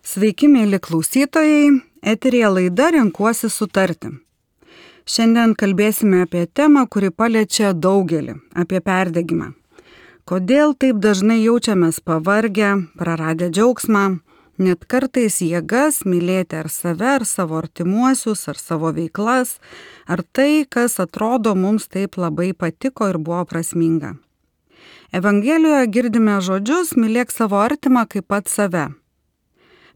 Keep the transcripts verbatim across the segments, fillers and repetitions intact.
Sveiki, mėly klausytojai, eteryje laida Renkuosi sutarti. Šiandien kalbėsime apie temą, kuri paliečia daugelį - apie perdegimą. Kodėl taip dažnai jaučiamės pavargę, praradę džiaugsmą, net kartais jėgas mylėti ar save, ar savo artimuosius, ar savo veiklas, ar tai, kas atrodo mums taip labai patiko ir buvo prasminga. Evangelijoje girdime žodžius mylėk savo artimą kaip pat save.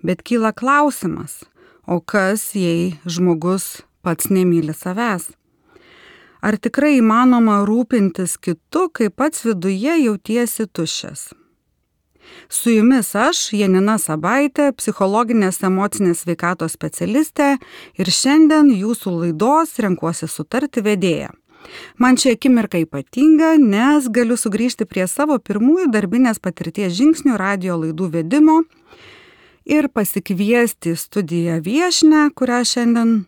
Bet kyla klausimas, o kas, jei žmogus pats nemyli savęs? Ar tikrai įmanoma rūpintis kitu, kai pats viduje jautiesi tuščias? Su jumis aš, Janina Sabaitė, psichologinės emocinės sveikatos specialistė ir šiandien jūsų laidos Renkuosi sutarti vedėja. Man ši akimirka ypatinga, nes galiu sugrįžti prie savo pirmųjų darbinės patirties žingsnių radijo laidų vedimo ir pasikviesti į studiją viešnią, kurią šiandien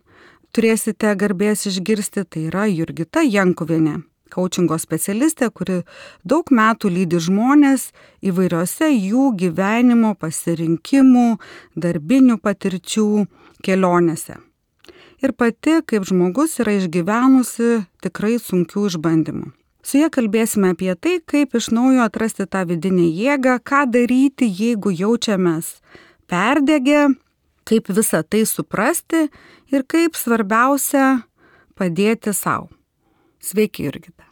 turėsite garbės išgirsti, tai yra Jurgita Jankuvienė, kaučingo specialistė, kuri daug metų lydi žmonės įvairiose jų gyvenimo pasirinkimų, darbinių patirčių kelionėse. Ir pati, kaip žmogus, yra išgyvenusi tikrai sunkių išbandymų. Su ja kalbėsime apie tai, kaip iš naujo atrasti tą vidinę jėgą, ką daryti, jeigu jaučiamės perdegę, kaip visą tai suprasti ir kaip svarbiausia padėti savo. Sveiki, Jurgita.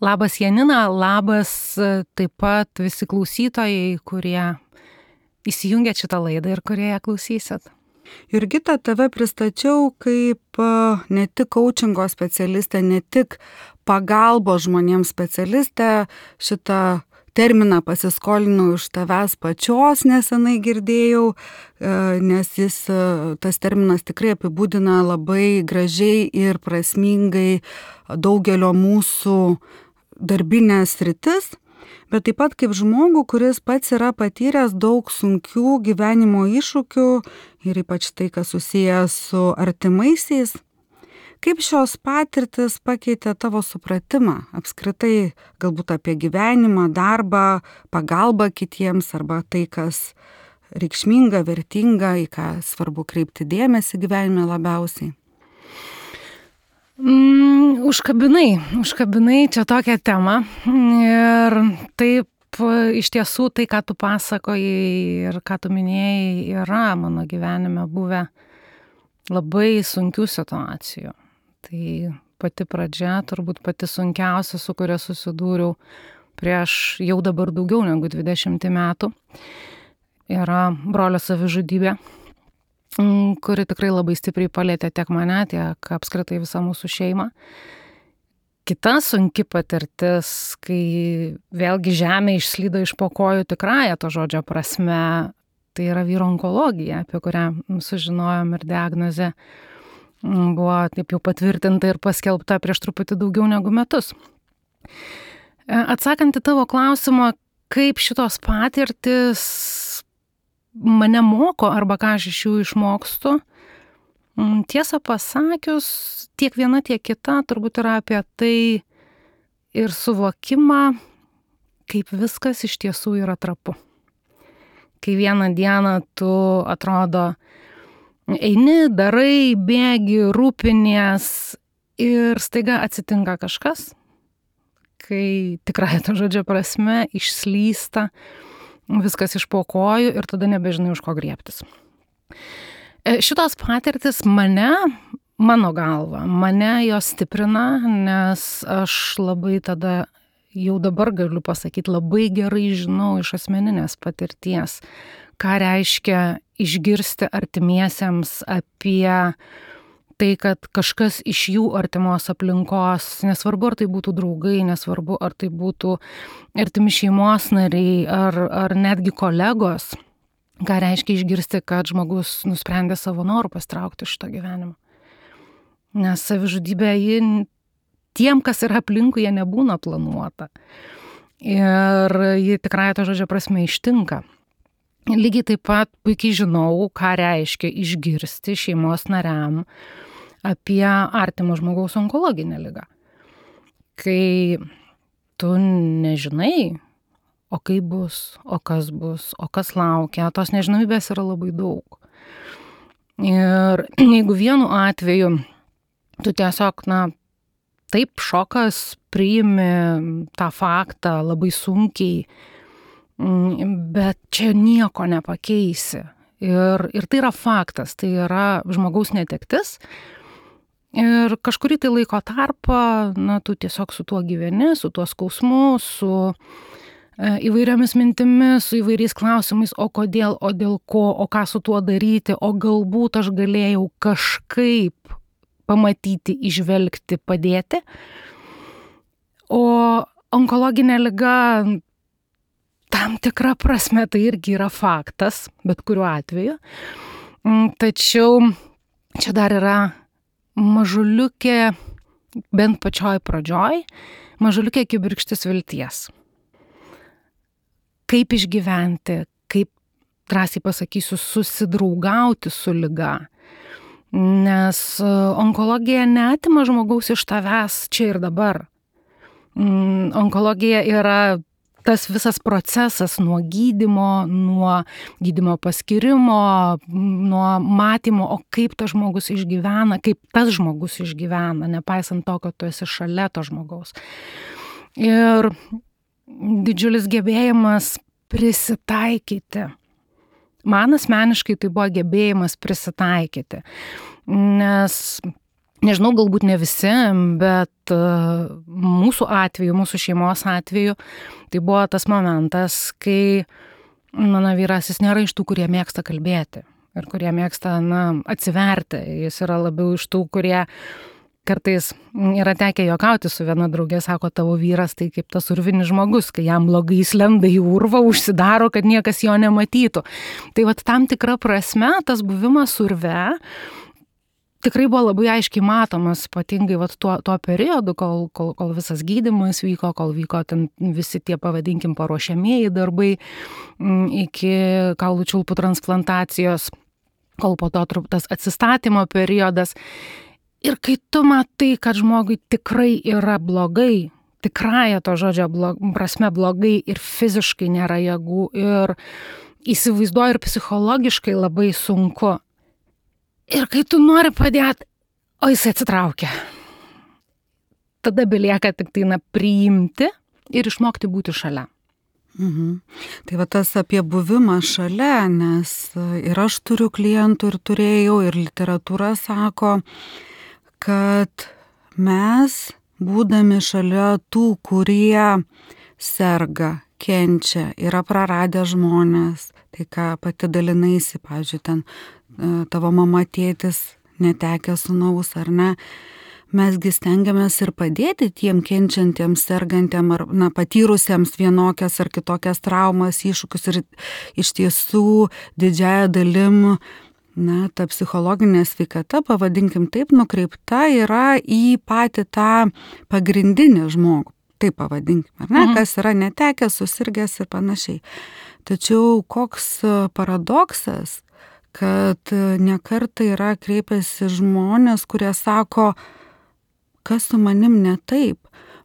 Labas, Janina, labas taip pat visi klausytojai, kurie įsijungia šitą laidą ir kurie ją klausysit. Jurgita, tave pristačiau kaip ne tik kaučingo specialistę, ne tik pagalbos žmonėms specialistę. Šitą terminą pasiskolinau iš tavęs pačios, nesenai girdėjau, nes jis, tas terminas tikrai apibūdina labai gražiai ir prasmingai daugelio mūsų darbinės sritis, bet taip pat kaip žmogų, kuris pats yra patyręs daug sunkių gyvenimo iššūkių ir ypač tai, kas susijęs su artimaisiais. Kaip šios patirtis pakeitė tavo supratimą apskritai galbūt apie gyvenimą, darbą, pagalbą kitiems arba tai, kas reikšminga, vertinga, į ką svarbu kreipti dėmesį gyvenime labiausiai? Mm, užkabinai, užkabinai čia tokią temą ir taip iš tiesų tai, ką tu pasakojai ir ką tu minėjai, yra mano gyvenime buvę labai sunkių situacijų. Tai pati pradžia, turbūt pati sunkiausia, su kuria susidūriau prieš jau dabar daugiau negu dvidešimt metų, yra brolio savižudybė, kuri tikrai labai stipriai palietė tiek mane, tiek apskritai visą mūsų šeimą. Kita sunki patirtis, kai vėlgi žemė išslydo iš po kojų tikrąja to žodžio prasme, tai yra vyro onkologija, apie kurią sužinojom ir diagnozė buvo taip jau patvirtinta ir paskelbta prieš truputį daugiau negu metus. Atsakant į tavo klausimą, kaip šitos patirtis mane moko arba ką aš iš jų išmokstu, tiesą pasakius, tiek viena, tiek kita turbūt yra apie tai ir suvokimą, kaip viskas iš tiesų yra trapu. Kai vieną dieną tu atrodo eini, darai, bėgi, rūpinies ir staiga atsitinka kažkas, kai tikrai to žodžio prasme išslysta viskas iš po kojų ir tada nebežinai už ko griebtis. Šitos patirtis mane, mano galva, mane jos stiprina, nes aš labai tada jau dabar galiu pasakyti, labai gerai žinau iš asmeninės patirties, ką reiškia išgirsti artimiesiems apie tai, kad kažkas iš jų artimos aplinkos, nesvarbu ar tai būtų draugai, nesvarbu ar tai būtų artimi šeimos nariai ar, ar netgi kolegos, ką reiškia išgirsti, kad žmogus nusprendė savo norų pasitraukti iš šito gyvenimo. Nes savižudybė, ji tiem, kas yra aplinkui, jie nebūna planuota. Ir ji tikrai to žodžio prasme ištinka. Lygiai taip pat puikiai žinau, ką reiškia išgirsti šeimos nariam apie artimo žmogaus onkologinę ligą. Kai tu nežinai, o kaip bus, o kas bus, o kas laukia, tos nežinomybės yra labai daug. Ir jeigu vienu atveju tu tiesiog, na, taip šokas priimi tą faktą labai sunkiai, bet čia nieko nepakeisi. Ir, ir tai yra faktas, tai yra žmogaus netektis. Ir kažkurį tai laiko tarpą, na, tu tiesiog su tuo gyveni, su tuo skausmu, su e, įvairiomis mintimis, su įvairiais klausimais, o kodėl, o dėl ko, o ką su tuo daryti, o galbūt aš galėjau kažkaip pamatyti, išvelgti, padėti. O onkologinė liga tam tikra prasme tai irgi yra faktas, bet kuriuo atveju. Tačiau čia dar yra mažuliukė, bent pačioj pradžioj, mažuliukė kibirkštis vilties. Kaip išgyventi, kaip, drąsiai pasakysiu, susidraugauti su liga. Nes onkologija neatima žmogaus iš tavęs čia ir dabar. Onkologija yra tas visas procesas nuo gydymo, nuo gydymo paskyrimo, nuo matymo, o kaip tas žmogus išgyvena, kaip tas žmogus išgyvena, nepaisant to, kad tu esi šalia to žmogaus. Ir didžiulis gebėjimas prisitaikyti. Man asmeniškai tai buvo gebėjimas prisitaikyti, nes nežinau, galbūt ne visi, bet uh, mūsų atveju, mūsų šeimos atveju, tai buvo tas momentas, kai mano vyras, jis nėra iš tų, kurie mėgsta kalbėti ir kurie mėgsta, na, atsiverti. Jis yra labiau iš tų, kurie kartais yra tekę juokauti su viena draugė, sako, tavo vyras tai kaip tas urvinis žmogus, kai jam blogai jis lenda į urvą, užsidaro, kad niekas jo nematytų. Tai vat tam tikra prasme tas buvimas urve tikrai buvo labai aiškiai matomas, ypatingai vat tuo, tuo periodu, kol, kol, kol visas gydymas vyko, kol vyko ten visi tie, pavadinkim, paruošiamieji darbai iki kaulų čiulpų transplantacijos, kol po to tas atsistatymo periodas. Ir kai tu matai, kad žmogui tikrai yra blogai, tikrąja to žodžio blog, prasme blogai ir fiziškai nėra jėgų ir įsivaizduoju ir psichologiškai labai sunku. Ir kai tu nori padėti, o jis atsitraukia. Tada belieka tik tai na, priimti ir išmokti būti šalia. Mhm. Tai va tas apie buvimą šalia, nes ir aš turiu klientų ir turėjau, ir literatūra sako, kad mes, būdami šalia tų, kurie serga, kenčia, yra praradę žmonės, tai ką pati dalinaisi, pavyzdžiui, ten tavo mama, tėtis netekę sūnaus ar ne, mesgi stengiamės ir padėti tiem kenčiantiems, sergantiem ar na, patyrusiems vienokias ar kitokias traumas, iššūkius ir iš tiesų didžiąja dalim na, ta psichologinė sveikata, pavadinkim taip, nukreipta yra į patį tą pagrindinį žmogų, taip pavadinkim, ar ne, mhm. kas yra netekęs, susirgęs ir panašiai. Tačiau koks paradoksas, kad nekartą yra kreipiasi žmonės, kurie sako, kas su manim ne taip,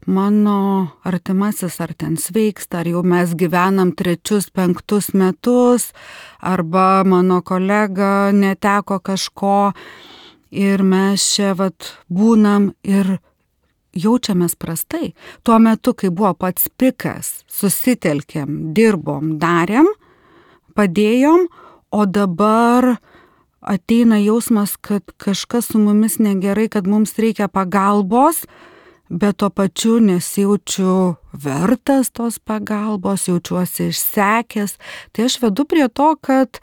mano artimasis ar ten sveiksta, ar jau mes gyvenam trečius, penktus metus, arba mano kolega neteko kažko ir mes čia vat būnam ir jaučiamės prastai. Tuo metu, kai buvo pats pikas, susitelkėm, dirbom, darėm, padėjom, o dabar ateina jausmas, kad kažkas su mumis negerai, kad mums reikia pagalbos, bet tuo pačiu nesijaučiu vertas tos pagalbos, jaučiuosi išsekęs. Tai aš vedu prie to, kad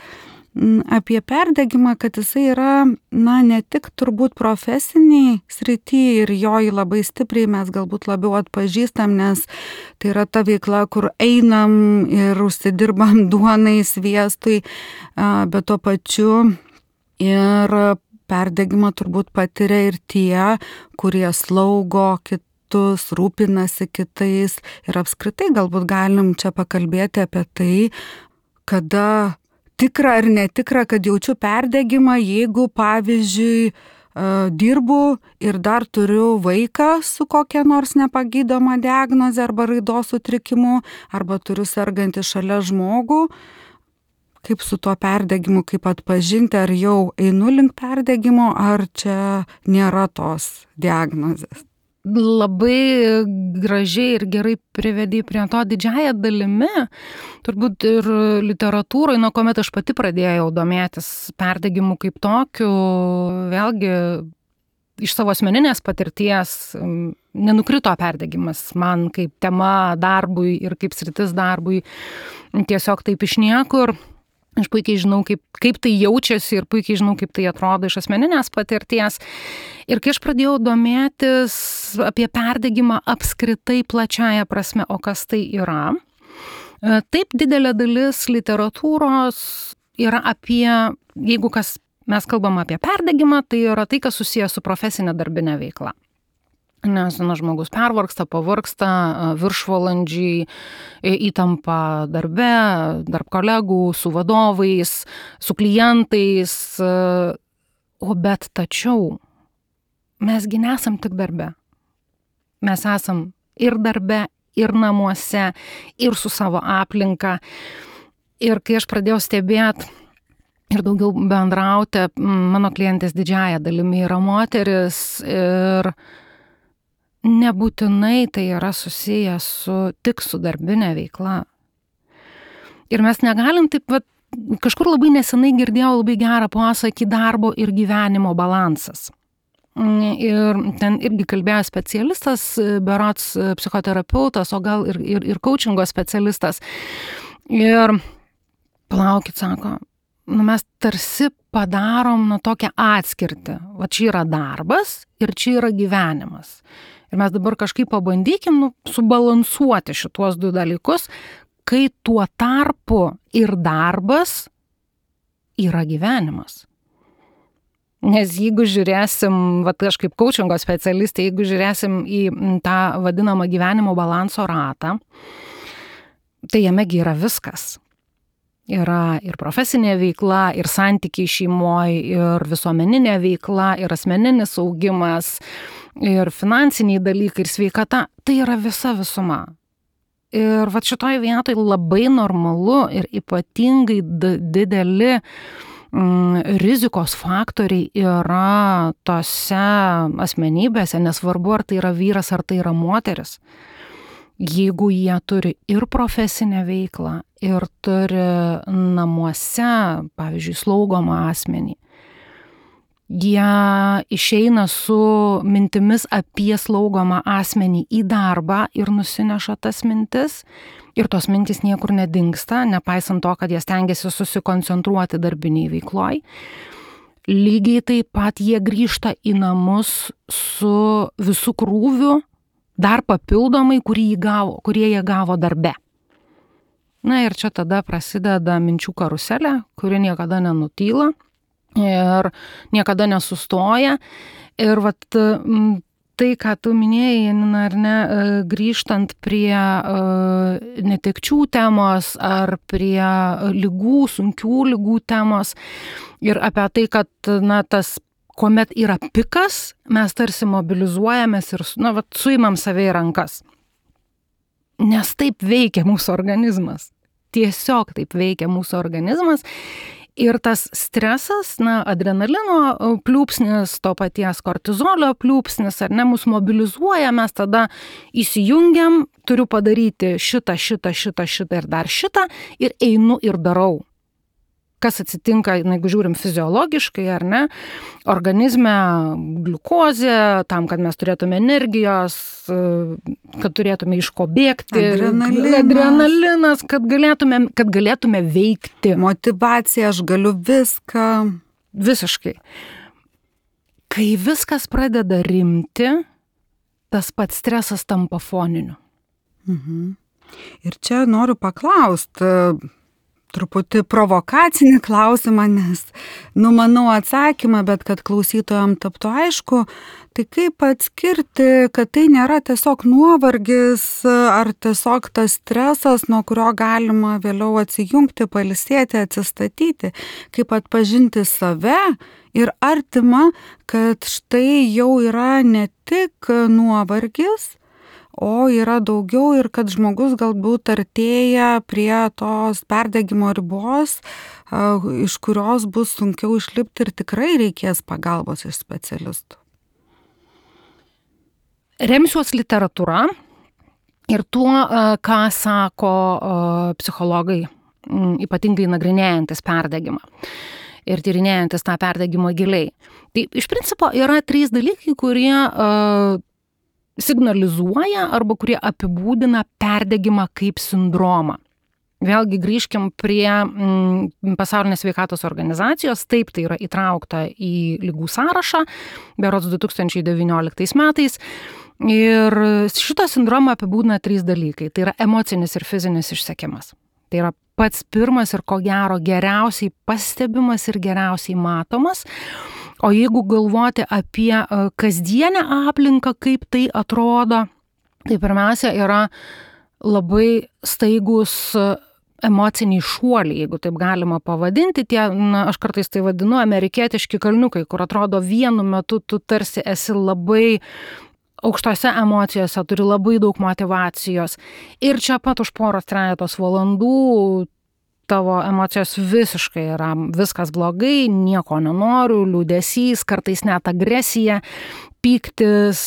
apie perdegimą, kad jisai yra, na, ne tik turbūt profesiniai srity ir jo labai stipriai mes galbūt labiau atpažįstam, nes tai yra ta veikla, kur einam ir užsidirbam duonai, sviestui, bet tuo pačiu ir perdegimą turbūt patiria ir tie, kurie slaugo kitus, rūpinasi kitais ir apskritai galbūt galim čia pakalbėti apie tai, kada tikra ar netikra, kad jaučiu perdegimą, jeigu, pavyzdžiui, dirbu ir dar turiu vaiką su kokia nors nepagydoma diagnoze arba raidos sutrikimu, arba turiu sergantį šalia žmogų. Kaip su tuo perdegimu, kaip atpažinti, ar jau einu link perdegimo, ar čia nėra tos diagnozės. Labai gražiai ir gerai privedė prie to didžiąją dalimi, turbūt ir literatūroje, nuo kuomet aš pati pradėjau domėtis perdegimu kaip tokiu, vėlgi iš savo asmeninės patirties nenukrito perdegimas man kaip tema darbui ir kaip sritis darbui, tiesiog taip iš niekur. Aš puikiai žinau, kaip, kaip tai jaučiasi ir puikiai žinau, kaip tai atrodo iš asmeninės patirties. Ir kai aš pradėjau domėtis apie perdegimą apskritai plačiaja prasme, o kas tai yra, taip didelė dalis literatūros yra apie, jeigu kas mes kalbam apie perdegimą, tai yra tai, kas susijęs su profesinė darbinė veikla. Nes na, žmogus pervargsta, pavargsta, viršvalandžiai, įtampa darbe, tarp kolegų, su vadovais, su klientais. O bet tačiau mesgi nesam tik darbe. Mes esam ir darbe, ir namuose, ir su savo aplinka. Ir kai aš pradėjau stebėti ir daugiau bendrauti, mano klientės didžiąja dalimi yra moteris ir nebūtinai tai yra susiję su, tik su darbinė veikla. Ir mes negalim taip, vat, kažkur labai nesenai girdėjau labai gerą posakį darbo ir gyvenimo balansas. Ir ten irgi kalbėjo specialistas, berods psichoterapeutas, o gal ir, ir, ir coachingo specialistas. Ir palaukit, sako, nu mes tarsi padarom nu tokią atskirtį. Va čia yra darbas ir čia yra gyvenimas. Ir mes dabar kažkaip pabandykim nu, subalansuoti šituos du dalykus, kai tuo tarpu ir darbas yra gyvenimas. Nes jeigu žiūrėsim, va, aš kaip coachingo specialistė, jeigu žiūrėsim į tą vadinamą gyvenimo balanso ratą, tai jame yra viskas. Yra ir profesinė veikla, ir santykiai šeimoje, ir visuomeninė veikla, ir asmeninis augimas, ir finansiniai dalykai, ir sveikata. Tai yra visa visuma. Ir va šitoj vietoj labai normalu ir ypatingai d- dideli mm, rizikos faktoriai yra tose asmenybėse, nesvarbu ar tai yra vyras, ar tai yra moteris. Jeigu jie turi ir profesinę veiklą, ir turi namuose, pavyzdžiui, slaugomą asmenį, jie išeina su mintimis apie slaugomą asmenį į darbą ir nusineša tas mintis, ir tos mintis niekur nedingsta, nepaisant to, kad jie stengiasi susikoncentruoti darbiniai veikloj. Lygiai taip pat jie grįžta į namus su visu krūviu, dar papildomai, kurį jie gavo, kurie jie gavo darbe. Na ir čia tada prasideda minčių karuselė, kuri niekada nenutyla ir niekada nesustoja. Ir vat tai, ką tu minėjai, Janina, ar ne, grįžtant prie netekčių temos ar prie ligų, sunkių ligų temos ir apie tai, kad na, tas kuomet yra pikas, mes tarsi mobilizuojamės ir na, vat, suimam save į rankas. Nes taip veikia mūsų organizmas. Tiesiog taip veikia mūsų organizmas. Ir tas stresas, na, adrenalino pliūpsnis, to paties kortizolio pliūpsnis, ar ne, mus mobilizuoja, mes tada įsijungiam, turiu padaryti šitą, šitą, šitą, šitą ir dar šitą ir einu ir darau. Kas atsitinka, jeigu žiūrim fiziologiškai, ar ne, organizme gliukozė, tam, kad mes turėtume energijos, kad turėtume iš ko bėgti, adrenalinas, adrenalinas kad, galėtume, kad galėtume veikti. Motyvacija, aš galiu viską. Visiškai. Kai viskas pradeda rimti, tas pats stresas tampa foniniu. Mhm. Ir čia noriu paklausti, truputį provokacinį klausimą, nes numanau atsakymą, bet kad klausytojams taptų aišku, tai kaip atskirti, kad tai nėra tiesiog nuovargis ar tiesiog tas stresas, nuo kurio galima vėliau atsijungti, pailsėti, atsistatyti, kaip atpažinti save ir artimą, kad štai jau yra ne tik nuovargis, o yra daugiau ir kad žmogus galbūt artėja prie tos perdegimo ribos, iš kurios bus sunkiau išlipti ir tikrai reikės pagalbos iš specialistų. Remsiuos literatūra ir tuo, ką sako psichologai, ypatingai nagrinėjantis perdegimą ir tyrinėjantis tą perdegimą giliai. Tai iš principo yra trys dalykai, kurie signalizuoja arba kurie apibūdina perdegimą kaip sindromą. Vėlgi grįžkim prie mm, Pasaulinės sveikatos organizacijos, taip tai yra įtraukta į ligų sąrašą, berods du tūkstančiai devynioliktais metais. Ir šitą sindromą apibūdina trys dalykai. Tai yra emocinis ir fizinis išsekimas. Tai yra pats pirmas ir ko gero geriausiai pastebimas ir geriausiai matomas. O jeigu galvoti apie kasdienę aplinką, kaip tai atrodo, tai pirmiausia yra labai staigus emociniai šuoliai, jeigu taip galima pavadinti, tie, na, aš kartais tai vadinu amerikietiški kalniukai, kur atrodo vienu metu tu tarsi esi labai aukštose emocijose, turi labai daug motyvacijos ir čia pat už poros trejetos valandų tavo emocijos visiškai yra viskas blogai, nieko nenoriu, liūdesys, kartais net agresija, pyktis.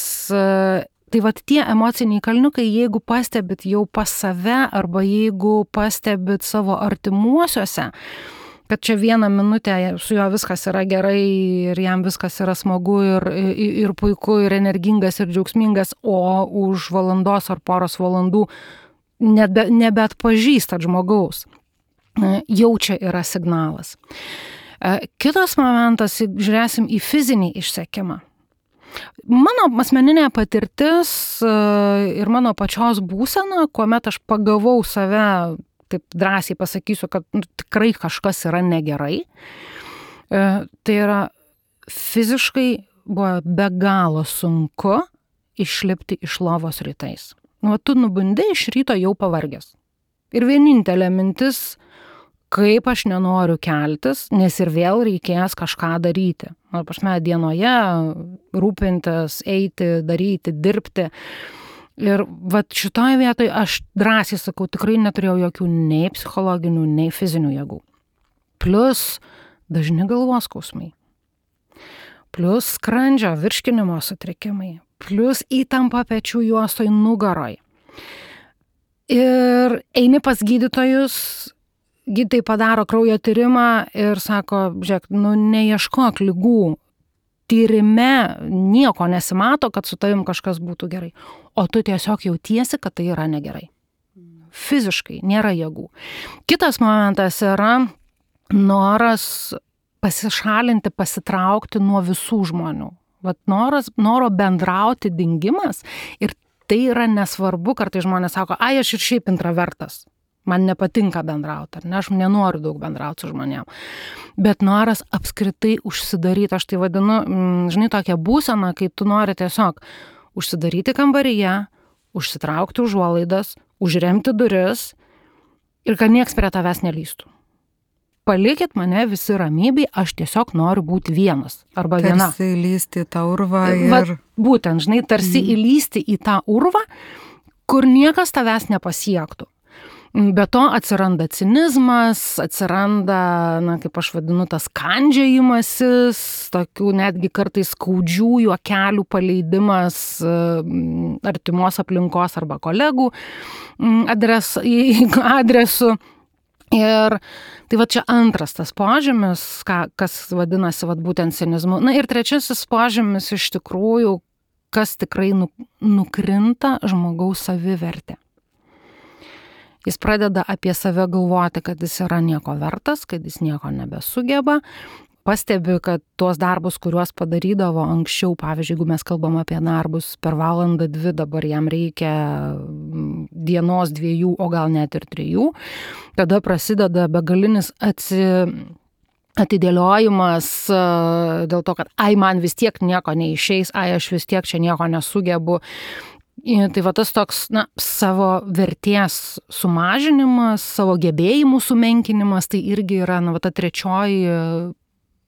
Tai vat tie emociniai kalniukai, jeigu pastebit jau pas save arba jeigu pastebit savo artimuosiuose, kad čia vieną minutę su juo viskas yra gerai ir jam viskas yra smagu ir, ir, ir puiku, ir energingas, ir džiaugsmingas, o už valandos ar poros valandų nebe, nebeatpažįstat žmogaus. Jau čia yra signalas. Kitas momentas, žiūrėsim į fizinį išsekimą. Mano asmeninė patirtis ir mano pačios būsena, kuomet aš pagavau save, taip drąsiai pasakysiu, kad nu, tikrai kažkas yra negerai, tai yra fiziškai buvo be galo sunku išlipti iš lovos rytais. Nu, tu nubundi iš ryto jau pavargęs. Ir vienintelė mintis, kaip aš nenoriu keltis, nes ir vėl reikės kažką daryti. Na, prasme, dienoje rūpintis, eiti, daryti, dirbti. Ir vat šitoje vietoje aš drąsiai sakau, tikrai neturėjau jokių nei psichologinių, nei fizinių jėgų. Plus dažni galvos skausmai. Plus skrandžio virškinimo sutrikimai. Plus įtampa pečių juostoj nugaroj. Ir eini pas gydytojus, gydytojai padaro kraujo tyrimą ir sako, žiūrėk, nu neieškok ligų, tyrime nieko nesimato, kad su tavim kažkas būtų gerai, o tu tiesiog jautiesi, kad tai yra negerai. Fiziškai nėra jėgų. Kitas momentas yra noras pasišalinti, pasitraukti nuo visų žmonių. Vat noras, noro bendrauti dingimas ir tai yra nesvarbu, kartais žmonės sako, ai, aš ir šiaip intravertas. Man nepatinka bendrauti, ar ne, aš nenoriu daug bendrauti su žmonėm. Bet noras apskritai užsidaryti, aš tai vadinu, žinai, tokia būsena, kai tu nori tiesiog užsidaryti kambaryje, užsitraukti užuolaidas, užremti duris ir kad nieks prie tavęs nelįstų. Palikit mane visi ramybėj, aš tiesiog noriu būti vienas arba viena. Tarsi įlysti į tą urvą ir... Va, būtent, žinai, tarsi mm. įlysti į tą urvą, kur niekas tavęs nepasiektų. Be to atsiranda cinizmas, atsiranda, na, kaip aš vadinu, tas kandžiojimasis, tokių netgi kartais skaudžių juokelių paleidimas artimos aplinkos arba kolegų adres, adresu. Ir tai va čia antras tas požymis, ką, kas vadinasi va, būtent cinizmu. Na ir trečiasis požymis iš tikrųjų, kas tikrai nu, nukrinta žmogaus savivertė. Jis pradeda apie save galvoti, kad jis yra nieko vertas, kad jis nieko nebesugeba, pastebi, kad tuos darbus, kuriuos padarydavo anksčiau, pavyzdžiui, jeigu mes kalbam apie darbus per valandą dvi, dabar jam reikia dienos dviejų, o gal net ir trijų, tada prasideda begalinis atsi... atidėliojimas dėl to, kad ai, man vis tiek nieko neišeis, ai, aš vis tiek čia nieko nesugebu. Tai va tas toks, na, savo vertės sumažinimas, savo gebėjimų sumenkinimas, tai irgi yra, na, va ta trečioji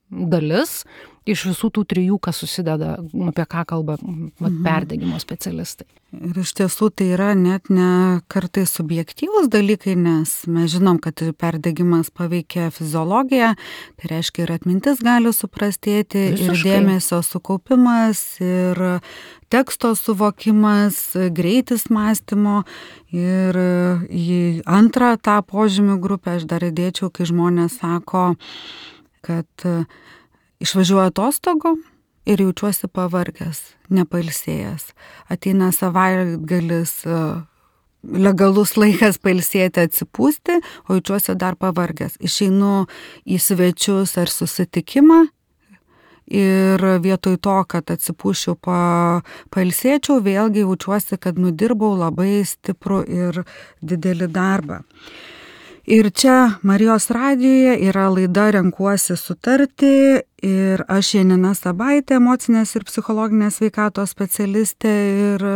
dalis iš visų tų trijų, kas susideda, apie ką kalba va, perdegimo specialistai. Ir iš tiesų tai yra net ne kartais subjektyvūs dalykai, nes mes žinom, kad perdegimas paveikia fiziologiją, tai reiškia ir atmintis gali suprastėti, Visiškai. Ir dėmesio sukaupimas, ir teksto suvokimas, greitis mąstymo. Ir į antrą tą požymių grupę aš dar įdėčiau, kai žmonės sako, kad išvažiuoju atostogų ir jaučiuosi pavargęs, nepailsėjęs. Ateina savaitgalis, legalus laikas pailsėti, atsipūsti, o jaučiuosi dar pavargęs. Išeinu į svečius ar susitikimą ir vietoj to, kad atsipūščiau, pa, pailsėčiau, vėlgi jaučiuosi, kad nudirbau labai stiprų ir didelį darbą. Ir čia Marijos radijoje yra laida Renkuosi sutarti ir aš Janina Sabaitė, emocinės ir psichologinės sveikatos specialistė ir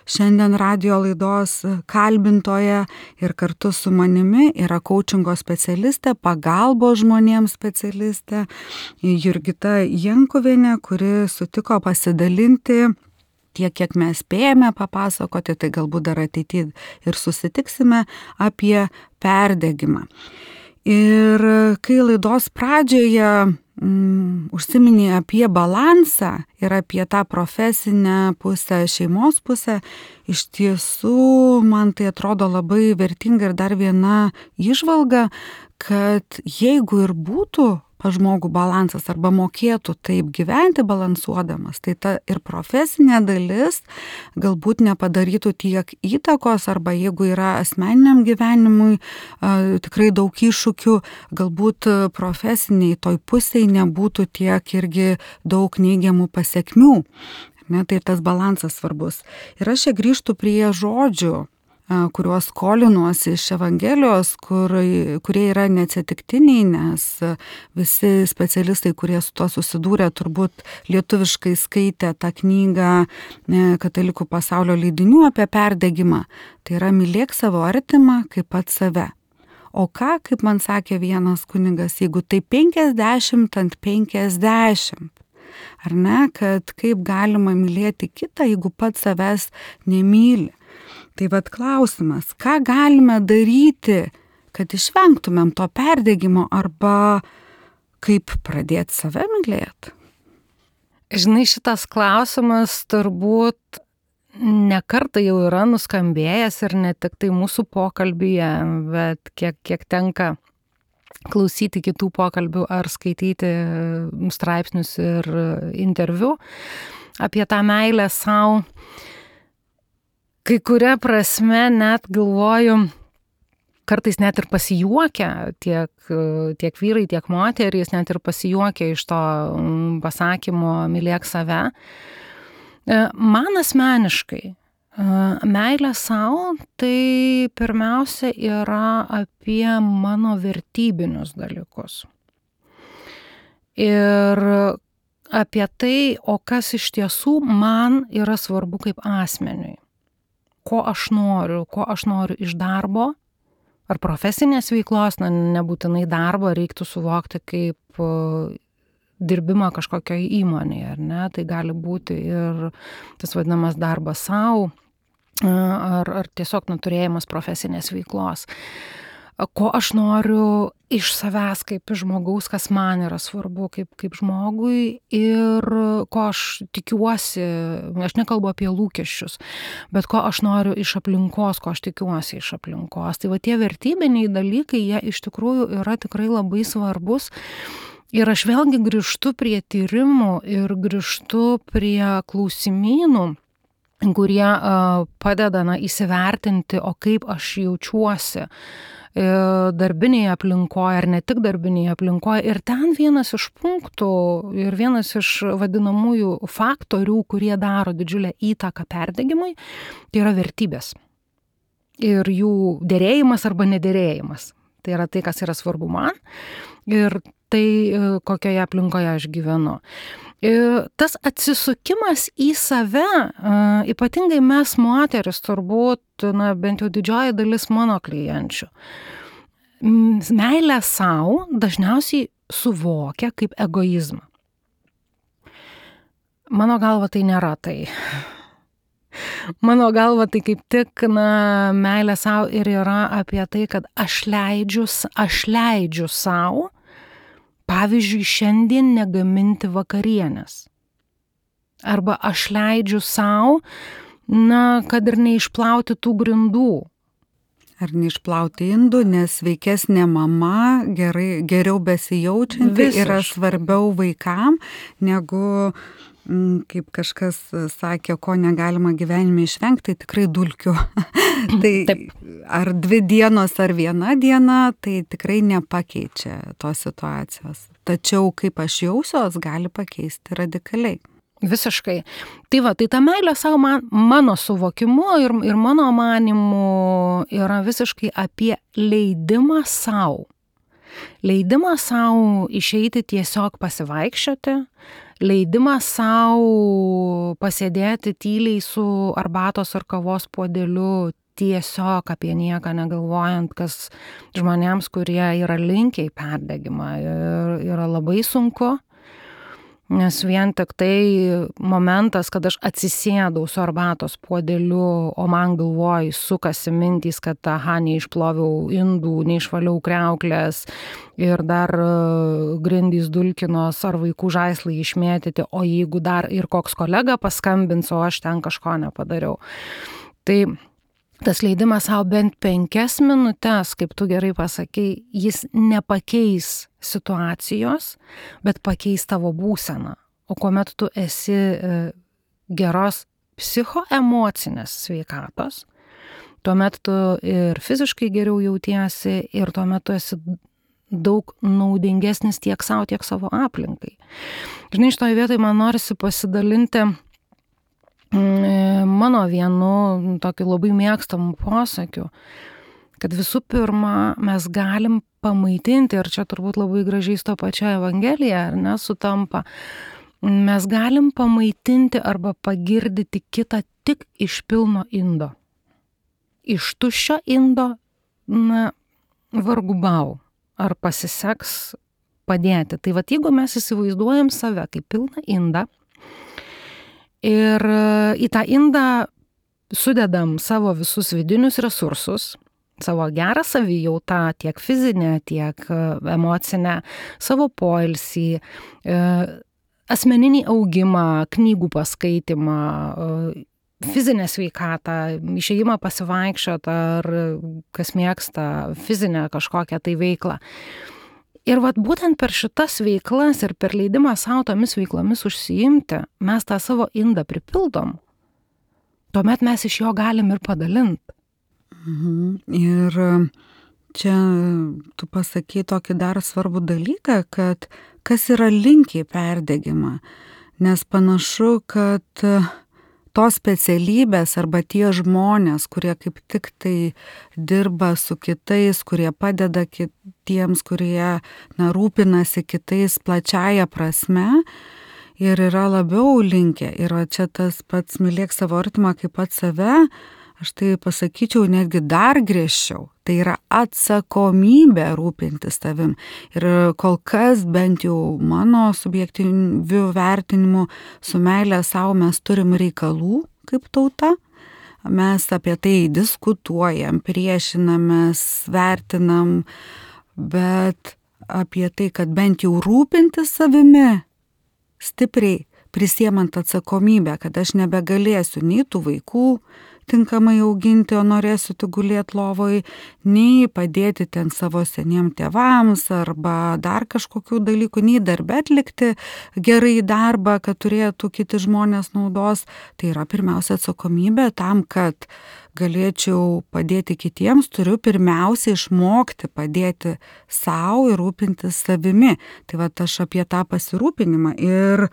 šiandien radijo laidos kalbintoja ir kartu su manimi yra koučingo specialistė, pagalbos žmonėms specialistė Jurgita Jankuvienė, kuri sutiko pasidalinti tiek, kiek mes spėjame papasakoti, tai galbūt dar ateityje ir susitiksime apie perdegimą. Ir kai laidos pradžioje mm, užsiminė apie balansą ir apie tą profesinę pusę, šeimos pusę, iš tiesų man tai atrodo labai vertinga ir dar viena įžvalga, kad jeigu ir būtų pas žmogų balansas arba mokėtų taip gyventi balansuodamas, tai ta ir profesinė dalis galbūt nepadarytų tiek įtakos arba jeigu yra asmeniniam gyvenimui a, tikrai daug iššūkių, galbūt profesiniai toj pusėj nebūtų tiek irgi daug neigiamų pasekmių. Ne, tai tas balansas svarbus. Ir aš čia grįžtu prie žodžių, kuriuos skolinuosi iš Evangelijos, kur, kurie yra neatsitiktiniai, nes visi specialistai, kurie su to susidūrė, turbūt lietuviškai skaitė tą knygą Katalikų pasaulio leidinių apie perdegimą. Tai yra mylėk savo artimą kaip pats save. O ką, kaip man sakė vienas kunigas, jeigu tai penkiasdešimt ant penkiasdešimt, ar ne, kad kaip galima mylėti kitą, jeigu pats savęs nemyli. Tai vat klausimas, ką galime daryti, kad išvengtumėm to perdegimo arba kaip pradėti save mylėti? Žinai, šitas klausimas turbūt ne kartą jau yra nuskambėjęs ir ne tik tai mūsų pokalbyje, bet kiek, kiek tenka klausyti kitų pokalbių ar skaityti straipsnius ir interviu apie tą meilę sau. Kai kuria prasme net galvoju, kartais net ir pasijuokia tiek, tiek vyrai, tiek moterys, net ir pasijuokia iš to pasakymo mylėk save. Man asmeniškai meilė sau tai pirmiausia yra apie mano vertybinius dalykus. Ir apie tai, o kas iš tiesų man yra svarbu kaip asmeniui. Ko aš noriu, ko aš noriu iš darbo ar profesinės veiklos, na, nebūtinai darbo, reiktų suvokti kaip dirbimą kažkokioje įmonėje, ar ne? Tai gali būti ir tas vadinamas darbas sau, ar, ar tiesiog nuturėjimas profesinės veiklos. Ko aš noriu iš savęs kaip iš žmogaus, kas man yra svarbu kaip, kaip žmogui ir ko aš tikiuosi, aš nekalbu apie lūkesčius, bet ko aš noriu iš aplinkos, ko aš tikiuosi iš aplinkos. Tai va tie vertybiniai dalykai, jie iš tikrųjų yra tikrai labai svarbus. Ir aš vėlgi grįžtu prie tyrimų ir grįžtu prie klausimynų, kurie uh, padeda na, įsivertinti, o kaip aš jaučiuosi darbinėje aplinkoje ar ne tik darbinėje aplinkoje. Ir ten vienas iš punktų ir vienas iš vadinamųjų faktorių, kurie daro didžiulę įtaką perdegimui, tai yra vertybės. Ir jų derėjimas arba nederėjimas. Tai yra tai, kas yra svarbu man ir tai, kokioje aplinkoje aš gyvenu. Tas atsisukimas į save, ypatingai mes moteris, turbūt, na, bent jau didžioji dalis mano klienčių, meilę sau dažniausiai suvokia kaip egoizmą. Mano galva tai nėra tai. Mano galva tai kaip tik, na, meilė sau ir yra apie tai, kad aš leidžiu, aš leidžiu sau, pavyzdžiui, šiandien negaminti vakarienės. Arba aš leidžiu sau, na, kad ir neišplauti tų grindų. Ar neišplauti indų, nes sveikesnė mama, gerai, geriau besijaučianti Visiškai. Yra svarbiau vaikam, negu, kaip kažkas sakė, ko negalima gyvenime išvengti, tai tikrai dulkių. Tai Taip. Ar dvi dienos, ar viena diena, tai tikrai nepakeičia tos situacijos. Tačiau kaip aš jausiuos, gali pakeisti radikaliai. Visiškai. Tai va, tai ta meilė savo man, mano suvokimu ir, ir mano manimu yra visiškai apie leidimą savo. Leidimą savo išeiti tiesiog pasivaikščioti, leidimą savo pasėdėti tyliai su arbatos ar kavos puodeliu, tiesiog apie nieką negalvojant, kas žmonėms, kurie yra linkę į perdegimą, yra labai sunku. Nes vien tik tai momentas, kad aš atsisėdau su arbatos puodeliu, o man galvoj sukasi mintys, kad aha, neišploviau indų, neišvaliau kriauklės ir dar grindys dulkinos ar vaikų žaislai išmėtyti, o jeigu dar ir koks kolega paskambins, o aš ten kažko nepadariau. Tai tas leidimas savo bent penkias minutes, kaip tu gerai pasakei, jis nepakeis situacijos, bet pakeis tavo būseną. O kuomet tu esi geros psichoemocinės sveikatos, tuomet tu ir fiziškai geriau jautiesi ir tuomet tu esi daug naudingesnis tiek savo, tiek savo aplinkai. Žinai, šitoje vietoje man norisi pasidalinti mano vienu tokiu labai mėgstamų posakių, kad visų pirma mes galim pamaitinti, ir čia turbūt labai gražiai su to pačia Evangelija, ar ne, sutampa, mes galim pamaitinti arba pagirdyti kitą tik iš pilno indo. Iš tuščio indo, na, vargu bau, ar pasiseks padėti. Tai vat, jeigu mes įsivaizduojam save kaip pilną indą, ir į tą indą sudedam savo visus vidinius resursus, savo gerą savijautą, tiek fizinę, tiek emocinę, savo poilsį, asmeninį augimą, knygų paskaitimą, fizinę sveikatą, išėjimą pasivaikščioti ar kas mėgsta fizinę kažkokią tai veiklą. Ir vat būtent per šitas veiklas ir per leidimą savo tomis veiklomis užsiimti, mes tą savo indą pripildom. Tuomet mes iš jo galim ir padalinti. Mhm. Ir čia tu pasakai tokį dar svarbų dalyką, kad kas yra linkę į perdegimą. Nes panašu, kad tos specialybės arba tie žmonės, kurie kaip tik tai dirba su kitais, kurie padeda kitiems, kurie na, rūpinasi kitais plačiaja prasme ir yra labiau linkę. Ir čia tas pats mylėk savo artimą kaip pats save, aš tai pasakyčiau netgi dar griežčiau. Tai yra atsakomybė rūpintis tavim. Ir kol kas bent jau mano subjektyviu vertinimu su meilė savo mes turim reikalų kaip tauta. Mes apie tai diskutuojam, priešinamės, vertinam, bet apie tai, kad bent jau rūpintis savimi stipriai prisiemant atsakomybę, kad aš nebegalėsiu nei tų vaikų tinkamai auginti, o norėsiu tik gulėti lovoj, nei padėti ten savo seniem tėvams arba dar kažkokių dalykų, nei darbę atlikti gerai darbą, kad turėtų kiti žmonės naudos. Tai yra pirmiausia atsakomybė tam, kad galėčiau padėti kitiems, turiu pirmiausia išmokti padėti savo ir rūpintis savimi. Tai va aš apie tą pasirūpinimą ir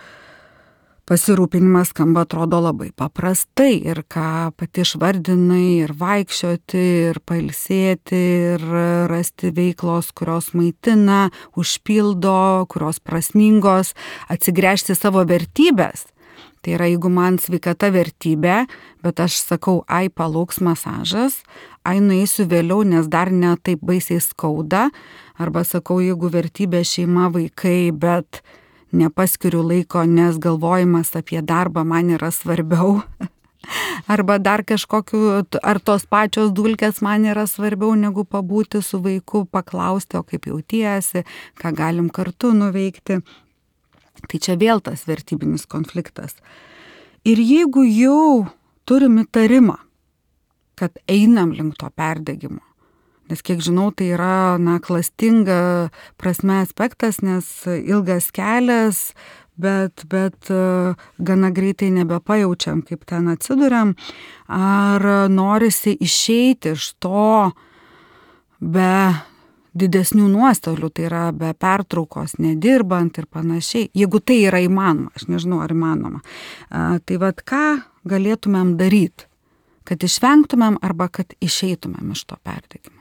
pasirūpinimas skamba atrodo labai paprastai ir ką pati išvardinai, ir vaikščioti, ir pailsėti, ir rasti veiklos, kurios maitina, užpildo, kurios prasmingos, atsigręžti savo vertybės. Tai yra, jeigu man sveikata vertybė, bet aš sakau, ai palauks masažas, ai nueisiu vėliau, nes dar ne taip baisiai skauda, arba sakau, jeigu vertybė šeima, vaikai, bet nepaskiriu laiko, nes galvojimas apie darbą man yra svarbiau. Arba dar kažkokiu, ar tos pačios dulkės man yra svarbiau negu pabūti su vaiku, paklausti, o kaip jautiesi, ką galim kartu nuveikti. Tai čia vėl tas vertybinis konfliktas. Ir jeigu jau turim įtarimą, kad einam link to perdegimo, nes kiek žinau, tai yra na, klastinga prasme aspektas, nes ilgas kelias, bet, bet gana greitai nebepajaučiam, kaip ten atsiduriam, ar norisi išeiti iš to be didesnių nuostolių, tai yra be pertraukos, nedirbant ir panašiai. Jeigu tai yra įmanoma, aš nežinau, ar įmanoma. Tai vad ką galėtumėm daryti, kad išvengtumėm arba kad išeitumėm iš to perdegimo?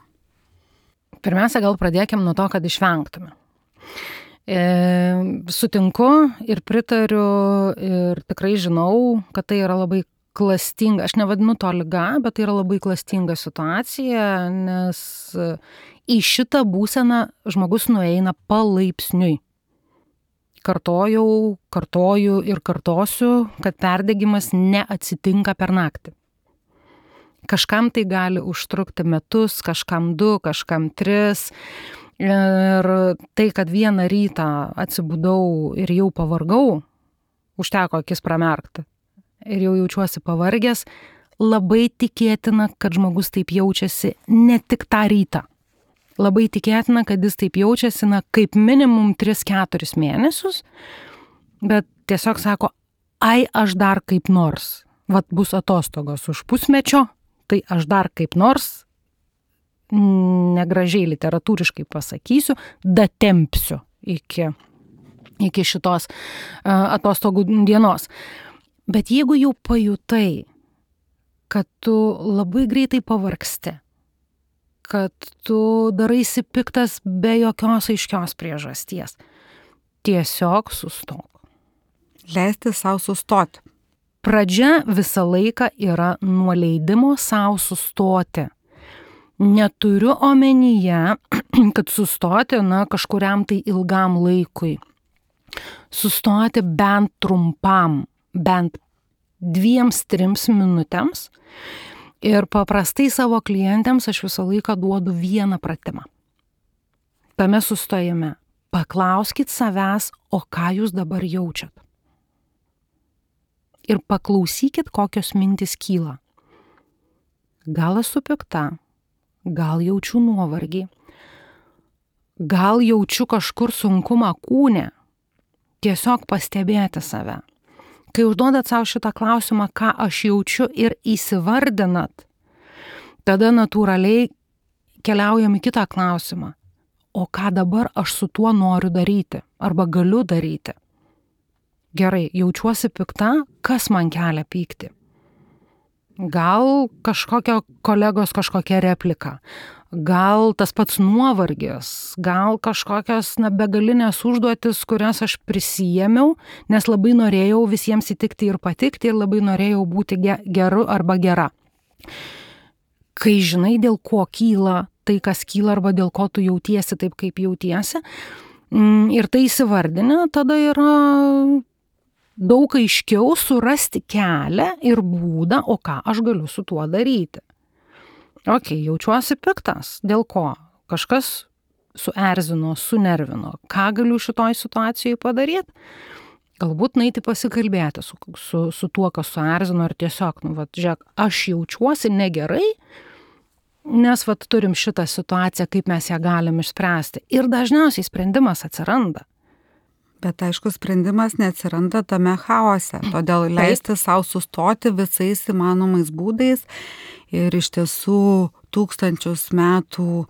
Pirmiausia, gal pradėkim nuo to, kad išvengtume. E, sutinku ir pritariu ir tikrai žinau, kad tai yra labai klastinga, aš nevadinu to liga, bet tai yra labai klastinga situacija, nes į šitą būseną žmogus nueina palaipsniui. Kartojau, kartoju ir kartosiu, kad perdegimas neatsitinka per naktį. Kažkam tai gali užtrukti metus, kažkam du, kažkam tris. Ir tai, kad vieną rytą atsibudau ir jau pavargau, užteko akis pramerkti ir jau jaučiuosi pavargęs, labai tikėtina, kad žmogus taip jaučiasi ne tik tą rytą. Labai tikėtina, kad jis taip jaučiasi na, kaip minimum tris keturis mėnesius, bet tiesiog sako, ai aš dar kaip nors, vat bus atostogos už pusmečio, tai aš dar kaip nors, negražiai literatūriškai pasakysiu, datempsiu iki, iki šitos uh, atostogų dienos. Bet jeigu jau pajutai, kad tu labai greitai pavargsti, kad tu daraisi piktas be jokios aiškios priežasties, tiesiog sustok. Leisti savo sustoti. Pradžia visą laiką yra nuo leidimo savo sustoti. Neturiu omenyje, kad sustoti na, kažkuriam tai ilgam laikui. Sustoti bent trumpam, bent dviems, trims minutėms. Ir paprastai savo klientėms aš visą laiką duodu vieną pratimą. Tame sustojime paklauskit savęs, o ką jūs dabar jaučiat. Ir paklausykit, kokios mintys kyla. Gal esu pikta, gal jaučiu nuovargį, gal jaučiu kažkur sunkumą kūne. Tiesiog pastebėti save. Kai užduodat savo šitą klausimą, ką aš jaučiu ir įsivardinat, tada natūraliai keliaujam į kitą klausimą. O ką dabar aš su tuo noriu daryti arba galiu daryti? Gerai, jaučiuosi pikta, kas man kelia pyktį? Gal kažkokio kolegos kažkokia replika, gal tas pats nuovargis, gal kažkokios na, begalinės užduotis, kurias aš prisijėmiau, nes labai norėjau visiems įtikti ir patikti ir labai norėjau būti geru arba gera. Kai žinai, dėl ko kyla tai, kas kyla arba dėl ko tu jautiesi taip, kaip jautiesi, ir tai įsivardinę, tada yra daug aiškiau surasti kelią ir būdą, o ką aš galiu su tuo daryti. Ok, jaučiuosi piktas. Dėl ko? Kažkas suerzino, sunervino. Ką galiu šitoj situacijai padaryti? Galbūt nueiti pasikalbėti su, su, su tuo, kas suerzino, ir tiesiog, nu, vat, žiūrėk, aš jaučiuosi negerai, nes vat, turim šitą situaciją, kaip mes ją galim išspręsti. Ir dažniausiai sprendimas atsiranda. Bet aišku, sprendimas neatsiranda tame chaose, todėl leisti savo sustoti visais įmanomais būdais ir iš tiesų tūkstančius metų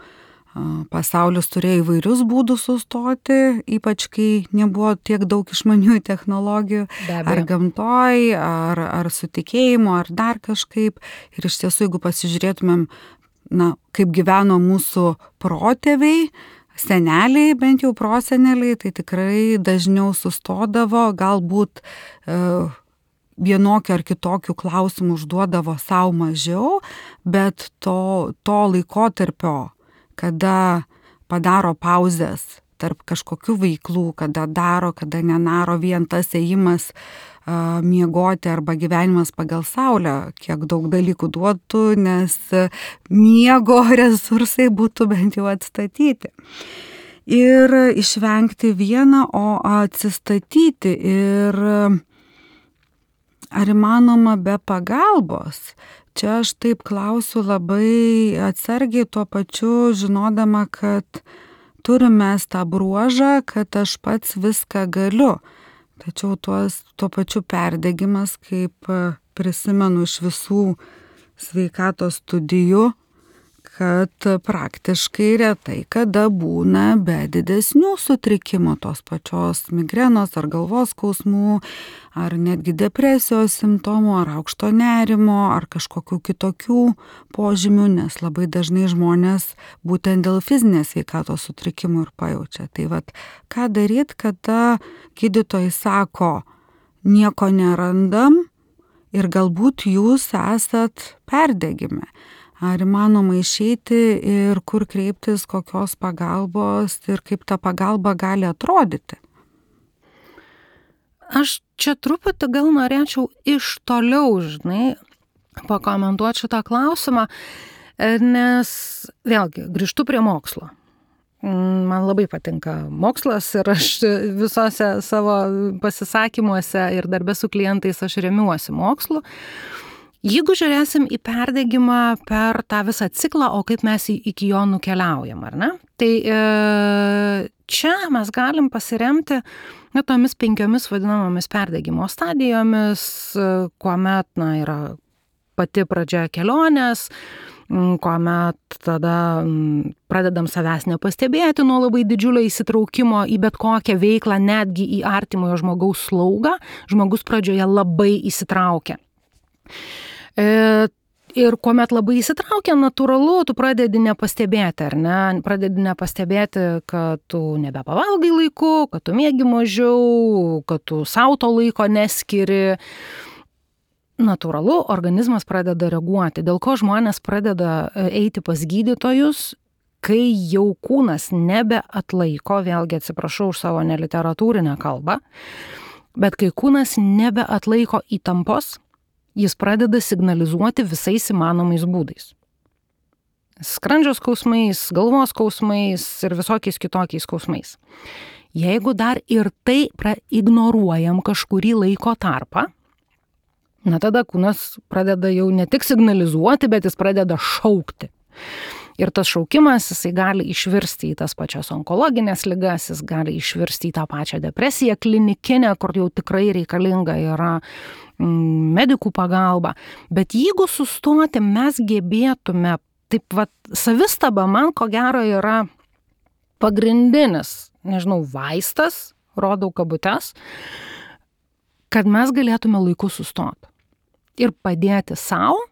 pasaulis turėjo įvairius būdus sustoti, ypač kai nebuvo tiek daug išmaniųjų technologijų, ar gamtoj, ar, ar su tikėjimu, ar dar kažkaip. Ir iš tiesų, jeigu pasižiūrėtumėm, na, kaip gyveno mūsų protėviai, seneliai, bent jau proseneliai, tai tikrai dažniau sustodavo, galbūt e, vienokių ar kitokių klausimų užduodavo savo mažiau, bet to, to laikotarpio, kada padaro pauzes tarp kažkokių veiklų, kada daro, kada nenaro, vien tas ėjimas uh, miegoti arba gyvenimas pagal saulę, kiek daug dalykų duotų, nes miego resursai būtų bent jau atstatyti. Ir išvengti vieną, o atsistatyti. Ir ar įmanoma be pagalbos? Čia aš taip klausiu labai atsargiai, tuo pačiu žinodama, kad turime tą bruožą, kad aš pats viską galiu. Tačiau tuos, tuo pačiu perdegimas, kaip prisimenu iš visų sveikatos studijų, kad praktiškai retai kada būna be didesnių sutrikimų, tos pačios migrenos ar galvos skausmų, ar netgi depresijos simptomų, ar aukšto nerimo, ar kažkokių kitokių požymių, nes labai dažnai žmonės būtent dėl fizinės sveikatos sutrikimų ir pajaučia. Tai vat, ką daryt, kada gydytojai sako, nieko nerandam ir galbūt jūs esat perdegime. Ar įmanoma išeiti ir kur kreiptis, kokios pagalbos ir kaip ta pagalba gali atrodyti? Aš čia truputį gal norėčiau iš toliau, žinai, pakomentuoti šitą klausimą, nes vėlgi grįžtu prie mokslo. Man labai patinka mokslas ir aš visose savo pasisakymuose ir darbe su klientais aš remiuosi mokslu. Jeigu žiūrėsim į perdegimą per tą visą ciklą, o kaip mes iki jo nukeliaujam, ar ne? Tai e, čia mes galim pasiremti na, tomis penkiomis vadinamomis perdegimo stadijomis, kuomet na, yra pati pradžia kelionės, kuomet tada pradedam savęs nepastebėti nuo labai didžiulio įsitraukimo į bet kokią veiklą, netgi į artimojo žmogaus slaugą, žmogus pradžioje labai įsitraukia. Ir kuomet labai įsitraukia, natūralu, tu pradedi nepastebėti, ar ne? Pradedi nepastebėti, kad tu nebepavalgai laiku, kad tu miegi mažiau, kad tu sau to laiko neskiri. Natūralu, organizmas pradeda reaguoti. Dėl ko žmonės pradeda eiti pas gydytojus, kai jau kūnas nebeatlaiko, vėlgi atsiprašau už savo neliteratūrinę kalbą, bet kai kūnas nebeatlaiko įtampos, jis pradeda signalizuoti visais įmanomais būdais. Skrandžio skausmais, galvos skausmais ir visokiais kitokiais skausmais. Jeigu dar ir tai ignoruojam kažkurį laiko tarpą, na tada kūnas pradeda jau ne tik signalizuoti, bet jis pradeda šaukti. Ir tas šaukimas, jisai gali išvirsti į tas pačias onkologinės ligas, jis gali išvirsti į tą pačią depresiją klinikinę, kur jau tikrai reikalinga yra medikų pagalba. Bet jeigu sustoti mes gebėtume, taip vat, savistaba man ko gero yra pagrindinis, nežinau, vaistas, rodau kabutes, kad mes galėtume laiku sustoti ir padėti savo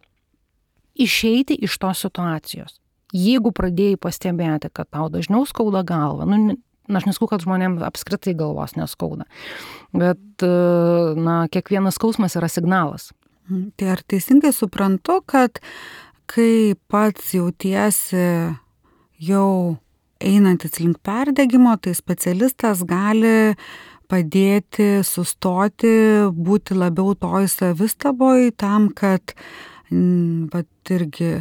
išeiti iš tos situacijos. Jeigu pradėjai pastebėti, kad tau dažniau skauda galva, nu, aš nesakau, kad žmonėms apskritai galvos neskauda, bet na, kiekvienas skausmas yra signalas. Tai ar teisingai suprantu, kad kai pats jautiesi jau einantis link perdegimo, tai specialistas gali padėti sustoti, būti labiau toj savistaboj tam, kad vat irgi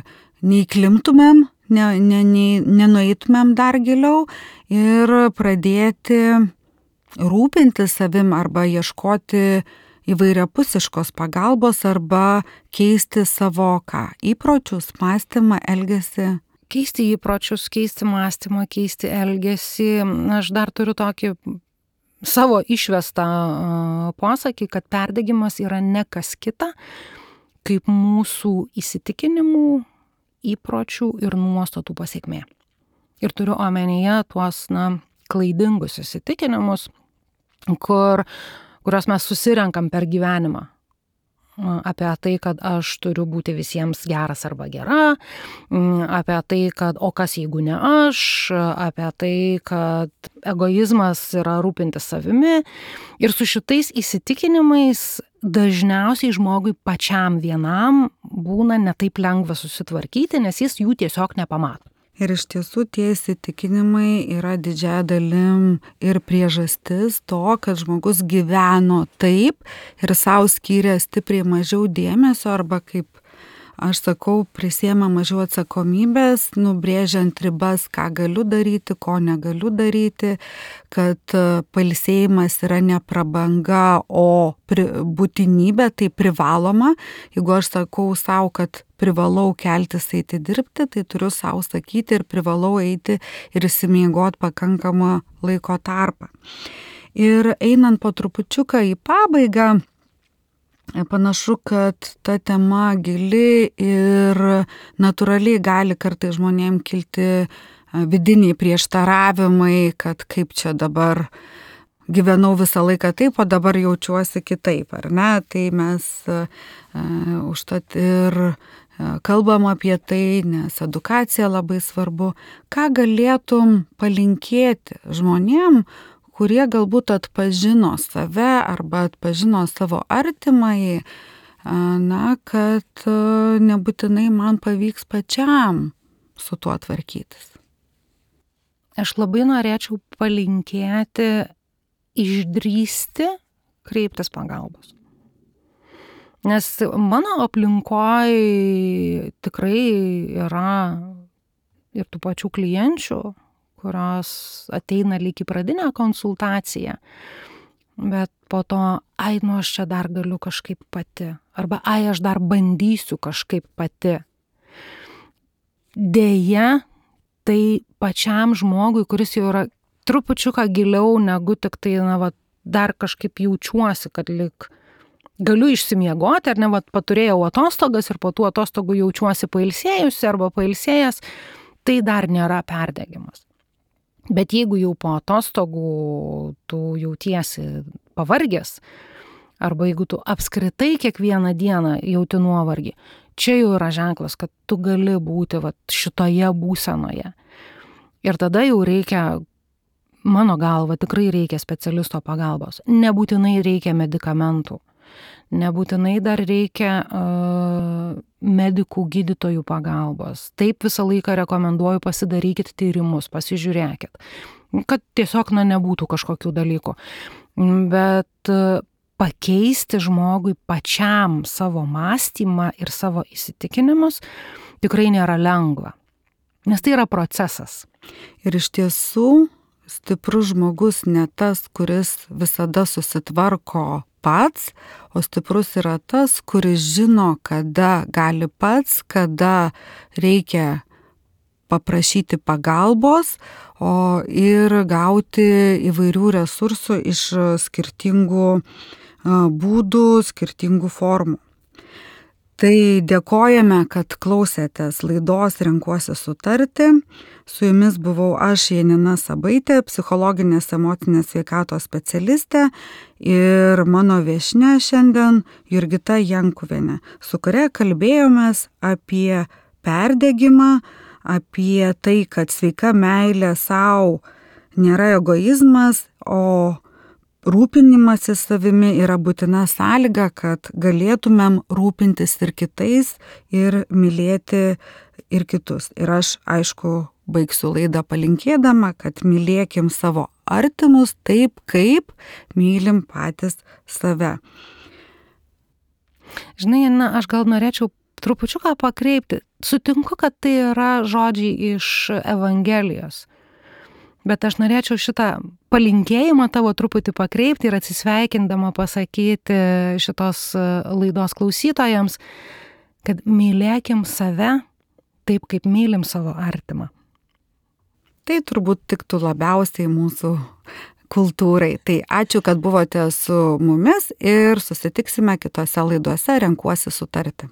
neįklimtumėm, ne, ne, ne, nenueitumėm dar giliau ir pradėti rūpinti savim arba ieškoti įvairiapusiškos pagalbos arba keisti savo ką, įpročius, mąstymą, elgesį. Keisti įpročius, keisti mąstymą, keisti elgesį. Aš dar turiu tokį savo išvestą posakį, kad perdegimas yra ne kas kita, kaip mūsų įsitikinimų, įpročių ir nuostatų pasekmė. Ir turiu omenyje tuos, na, klaidingus įsitikinimus, kur kurios mes susirenkam per gyvenimą. Apie tai, kad aš turiu būti visiems geras arba gera, apie tai, kad o kas jeigu ne aš, apie tai, kad egoizmas yra rūpintis savimi. Ir su šitais įsitikinimais dažniausiai žmogui pačiam vienam būna ne taip lengva susitvarkyti, nes jis jų tiesiog nepamato. Ir iš tiesų tie įsitikinimai yra didžiąja dalim ir priežastis to, kad žmogus gyveno taip ir savo skyrė stipriai mažiau dėmesio arba, kaip aš sakau, prisėmė mažiau atsakomybės, nubrėžiant ribas, ką galiu daryti, ko negaliu daryti, kad pailsėjimas yra ne prabanga, o pri, būtinybė, tai privaloma. Jeigu aš sakau savo, kad privalau keltis eiti dirbti, tai turiu savo sakyti ir privalau eiti ir išsimiegoti pakankamą laiko tarpą. Ir einant po trupučiuką į pabaigą, panašu, kad ta tema gili ir natūraliai gali kartais žmonėm kilti vidiniai prieštaravimai, kad kaip čia dabar gyvenau visą laiką taip, o dabar jaučiuosi kitaip, ar ne? Tai mes uh, užtat ir uh, kalbam apie tai, nes edukacija labai svarbu. Ką galėtum palinkėti žmonėm, kurie galbūt atpažino save arba atpažino savo artimąjį, na, kad nebūtinai man pavyks pačiam su tuo tvarkytis. Aš labai norėčiau palinkėti išdrįsti kreiptis pagalbos. Nes mano aplinkoje tikrai yra ir tų pačių klienčių, kurios ateina lyg į pradinę konsultaciją, bet po to, ai, nu aš čia dar galiu kažkaip pati, arba ai, aš dar bandysiu kažkaip pati. Deja, tai pačiam žmogui, kuris jau yra trupučiuką giliau negu tik tai, na, va, dar kažkaip jaučiuosi, kad lyg galiu išsimiegoti, ar ne, va, paturėjau atostogas ir po tų atostogų jaučiuosi pailsėjusi arba pailsėjęs, tai dar nėra perdegimas. Bet jeigu jau po atostogų tu jautiesi pavargęs, arba jeigu tu apskritai kiekvieną dieną jauti nuovargį, čia jau yra ženklas, kad tu gali būti vat, šitoje būsenoje. Ir tada jau reikia, mano galva, tikrai reikia specialisto pagalbos. Nebūtinai reikia medikamentų. Nebūtinai dar reikia uh, medikų gydytojų pagalbos. Taip visą laiką rekomenduoju, pasidarykit tyrimus, pasižiūrėkit, kad tiesiog na, nebūtų kažkokių dalykų. Bet uh, pakeisti žmogui pačiam savo mąstymą ir savo įsitikinimus tikrai nėra lengva, nes tai yra procesas. Ir iš tiesų stiprus žmogus ne tas, kuris visada susitvarko pats, o stiprus yra tas, kuris žino, kada gali pats, kada reikia paprašyti pagalbos, o ir gauti įvairių resursų iš skirtingų būdų, skirtingų formų. Tai dėkojame, kad klausėtės laidos Renkuosi sutarti. Su jumis buvau aš, Janina Sabaitė, psichologinės emocinės sveikatos specialistė, ir mano viešnia šiandien Jurgita Jankuvienė, su kuria kalbėjomės apie perdegimą, apie tai, kad sveika meilė sau nėra egoizmas, o rūpinimasis savimi yra būtina sąlyga, kad galėtumėm rūpintis ir kitais ir mylėti ir kitus. Ir aš, aišku, baigsiu laidą palinkėdama, kad mylėkim savo artimus taip, kaip mylim patys save. Žinai, na, aš gal norėčiau trupučiuką pakreipti. Sutinku, kad tai yra žodžiai iš Evangelijos. Bet aš norėčiau šitą palinkėjimą tavo truputį pakreipti ir atsisveikindama pasakyti šitos laidos klausytojams, kad mylėkim save taip, kaip mylim savo artimą. Tai turbūt tiktų labiausiai mūsų kultūrai. Tai ačiū, kad buvote su mumis ir susitiksime kitose laidose Renkuosi sutarti.